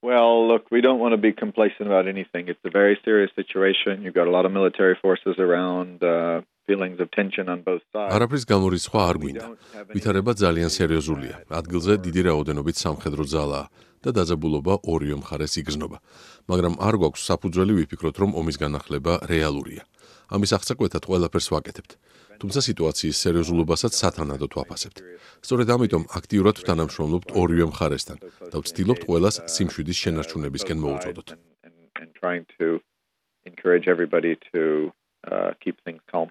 Well, look, we don't want to be complacent about anything. It's a very serious situation. You've got a lot of military forces around, feelings of tension on both sides. არაფრის გამორიცხვა არ გვინდა. ვითარება ძალიან სერიოზულია. ადგილზე დიდი რაოდენობით სამხედრო ძალაა და დაძაბულობა ორივე მხარეს იგრძნობა. მაგრამ არ გვაქვს საფუძველი ვიფიქროთ, რომ ომის განახლება რეალურია. ამის აღწევად ყველაფერს ვაკეთებთ. თუმცა სიტუაციის სერიოზულობასაც სათანადოდ ვაფასებთ. სწორედ ამიტომ აქტიურად ვთანამშრომლობთ ორივე მხარესთან და ვცდილობთ ყველას სიმშვიდის შენარჩუნებისკენ მოუწოდოთ. And trying to encourage everybody to keep things calm.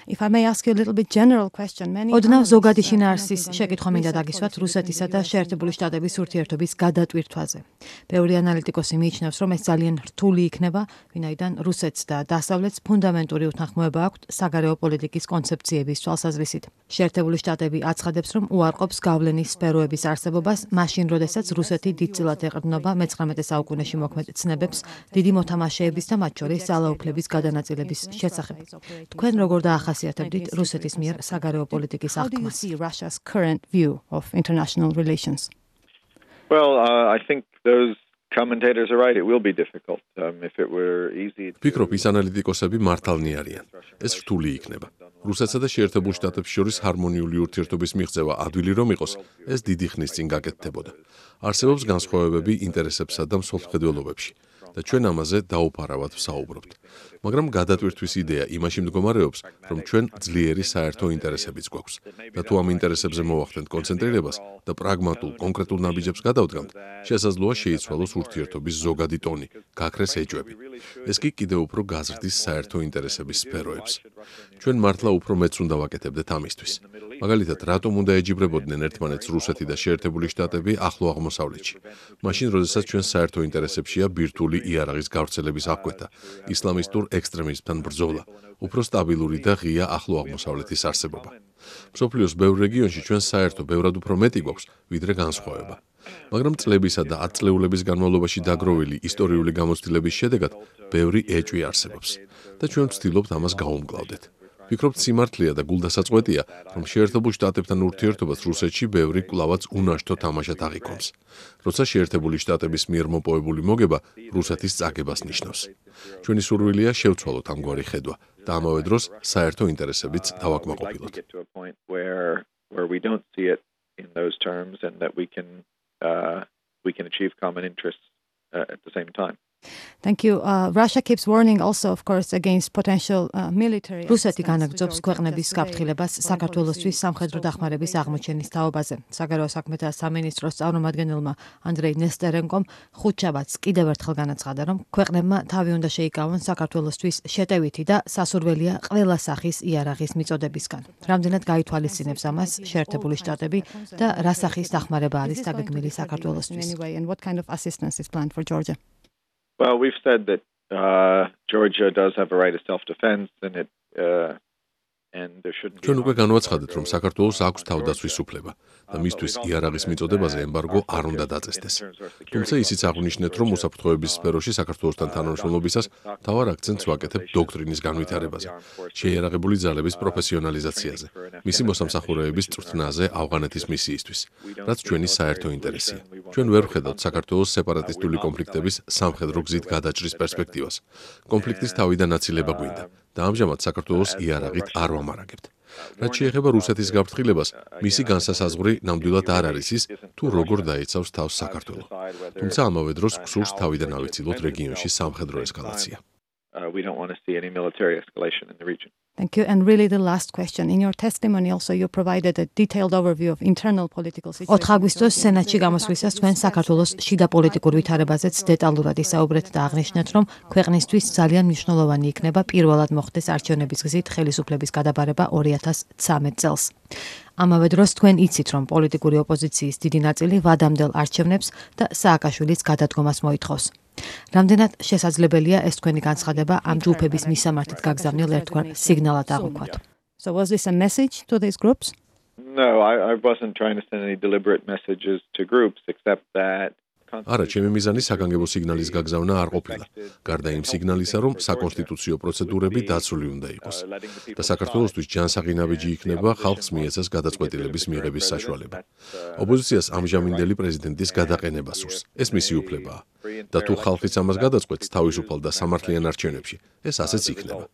If I may ask you a little bit general question, ოდნავ ზოგადი შინაარსის შეკითხვა მინდა დაგისვათ რუსეთისა და შეერთებული შტატების ურთიერთობის გადატვირთვაზე. ბევრი ანალიტიკოსი მიიჩნევს, რომ ეს ძალიან რთული იქნება, ვინაიდან რუსეთს და დასავლეთს ფუნდამენტური უთანხმოება აქვთ საგარეო პოლიტიკის კონცეფციების თვალსაზრისით. შეერთებული შტატები აცხადებს, რომ უარყოფს გავლენის სფეროების არსებობას, მაშინ, როდესაც რუსეთი დიდწილად ეყრდნობა მე-19 საუკუნეში მოქმედ ცნებებს, დიდი მოთამაშეების და მათ შორის ძალაუფლების გადანაწილების შესახებ. თქვენ როგორ დაახასიათებდით რუსეთის მიერ საგარეო პოლიტიკის აღქმას? Russia's current view of international relations. Well, I think those commentators are right. It will be difficult. If it were easy. ვფიქრობ, ის ანალიტიკოსები მართალნი არიან. ეს რთული იქნება. რუსეთსა და შეერთებულ შტატებს შორის ჰარმონიული ურთიერთობის მიღწევა ადვილი რომ იყოს, ეს დიდი ხნის წინ გაკეთდებოდა. არსებობს განსხვავებები ინტერესებსა და მსოფლმხედველობებში. და ჩვენ ამაზე დაუფარავად ვსაუბრობთ. მაგრამ გადატვირთვის იდეა იმაში მდგომარეობს, რომ ჩვენ ძლიერი საერთო ინტერესებიც გვაქვს და თუ ამ ინტერესებზე მოვახდენთ კონცენტრირებას და პრაგმატულ კონკრეტულ ნაბიჯებს გადავდგამთ, შესაძლოა შეიცვალოს ურთიერთობის ზოგადი ტონი, გაქრეს ეჭვები. ეს კი კიდევ უფრო გაზრდის საერთო ინტერესების სფეროებს. ჩვენ მართლა უფრო მეც უნდა ვაკეთებდეთ ამისთვის. მაგალითად, რატომ უნდა ეჯიბრებოდნენ ერთმანეთს რუსეთი და შეერთებული შტატები ახლო აღმოსავლეთში? მაშინ, როდესაც ჩვენ საერთო ინტერესებშია ბირთვული იარაღის გავრცელების აღკვეთა, ისლამისტურ ექსტრემიზმთან ბრძოლა, უფრო სტაბილური და ღია ახლო აღმოსავლეთის არსებობა. მსოფლიოს ბევრ რეგიონში ჩვენ საერთო ბევრად უფრო მეტი გვაქვს, ვიდრე განსხვავება. მაგრამ წლებისა და ათწლეულების განმავლობაში დაგროვილი ისტორიული გამოცდილების შედეგად ბევრი ეჭვი არსებობს და ჩვენ ვცდილობთ ამას გავუმკლავდეთ. ვფიქრობთ, სიმართლეა და გულდასაწყვეტია, რომ შეერთებულ შტატებთან ურთიერთობას რუსეთში ბევრი კვლავაც უნაშთო თამაშად აღიქვამს, როცა შეერთებული შტატების მიერ მოპოვებული მოგება რუსეთის წაგებას ნიშნავს. ჩვენი სურვილია შევცვალოთ ამგვარი ხედვა და ამავე დროს საერთო ინტერესებიც დავაკმაყოფილოთ. We can achieve common interests at the same time. Thank you. Russia keeps warning also, of course, against potential military. რუსეთი განაგრძობს ქვეყნების გაფრთხილებას საქართველოსთვის სამხედრო დახმარების აღმოჩენის თაობაზე. საგარეო საქმეთა სამინისტროს წარმომადგენელმა ანდრეი ნესტერენკომ ხუთშაბათს კიდევ ერთხელ განაცხადა, რომ ქვეყნებმა თავი უნდა შეიკავონ საქართველოსთვის შეტევითი და სასურველია ყველა სახის იარაღის მიწოდებისგან. რამდენად გაითვალისწინებს ამას შეერთებული შტატები და რა სახის დახმარება არის დაგეგმილი საქართველოსთვის? And what kind of assistance is planned for Georgia? Well, we've said that Georgia does have a right of self-defense, and there shouldn't be. ჩვენ უკვე განვაცხადეთ, რომ საქართველოს აქვს თავდაცვის უფლება და მისთვის იარაღის მიწოდებაზე ემბარგო არ უნდა დაწესდეს. თუმცა ისიც აღნიშნეთ, რომ უსაფრთხოების სფეროში საქართველოსთან თანამშრომლობისას მთავარ აქცენტს ვაკეთებთ დოქტრინის განვითარებაზე, შეიარაღებული ძალების პროფესიონალიზაციაზე, მისი მოსამსახურეების წვრთნაზე ავღანეთის მისიისთვის, რაც ჩვენი საერთო ინტერესია. ჩვენ ვერ ვხედავთ საქართველოს სეპარატისტული კონფლიქტების სამხედრო გზით გადაჭრის პერსპექტივას. კონფლიქტის თავიდან აცილება გვინდა და ამჟამად საქართველოს იარაღით არ ვამარაგებთ. რაც შეეხება რუსეთის გაფრთხილებას, მისი განსასაზღვრი ნამდვილად არ არის ის, თუ როგორ დაიცავს თავს საქართველო. თუმცა ამავე დროს გსურს თავიდან ავიცილოთ რეგიონში სამხედრო ესკალაცია. We don't want to see any military escalation in the region. Thank you. And really the last question. In your testimony also you provided a detailed overview of internal political situation. 4 აგვისტოს სენატში გამოსვლისას თქვენ საქართველოს შიდა პოლიტიკურ ვითარებაზეც დეტალურად ისაუბრეთ და აღნიშნეთ, რომ ქვეყნისთვის ძალიან მნიშვნელოვანი იქნება პირველად მოხდეს არჩევნების გზით ხელისუფლების გადაბარება 2013 წელს. ამავე დროს თქვენ იცით, რომ პოლიტიკური ოპოზიციის დიდი ნაწილი ვადამდელ არჩევნებს და სააკაშვილის გადადგომას მოითხოვს. რამდენად შესაძლებელია ეს თქვენი განცხადება ამ ჯგუფების მისამართით გაგზავნილ ერთგვარ სიგნალად აღვქვათ? So was this a message to these groups? No, I wasn't trying to send any deliberate messages to groups except that არა, ჩემი მიზანი საგანგებო სიგნალის გაგზავნა არ ყოფილა. გარდა იმ სიგნალისა, რომ საკონსტიტუციო პროცედურები დაცული უნდა იყოს. და საქართველოსთვის ჯანსაღინავეჯი იქნება ხალხს მიეცას გადაწყვეტილების მიღების საშუალება. ოპოზიციას ამჟამინდელი პრეზიდენტის გადაყენება სურს. ეს მისი უფლებაა. და თუ ხალხიც ამას გადაწყვეტს თავისუფალ და სამართლიან არჩევნებში, ეს ასეც იქნება.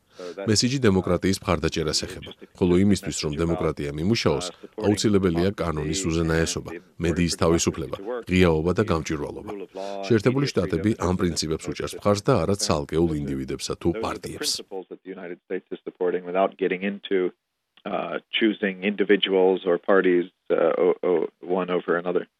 მესიჯი დემოკრატიის მხარდაჭერას ეხება, ხოლო იმისთვის, რომ დემოკრატია მიმუშაოს, აუცილებელია კანონის უზენაესობა, მედიის თავისუფლება, ღიაობა და გამჭვირვალობა. შეერთებული შტატები ამ პრინციპებს უჭერს მხარს და არა ცალკეულ ინდივიდებსა თუ პარტიებს. Choosing individuals or parties one over another.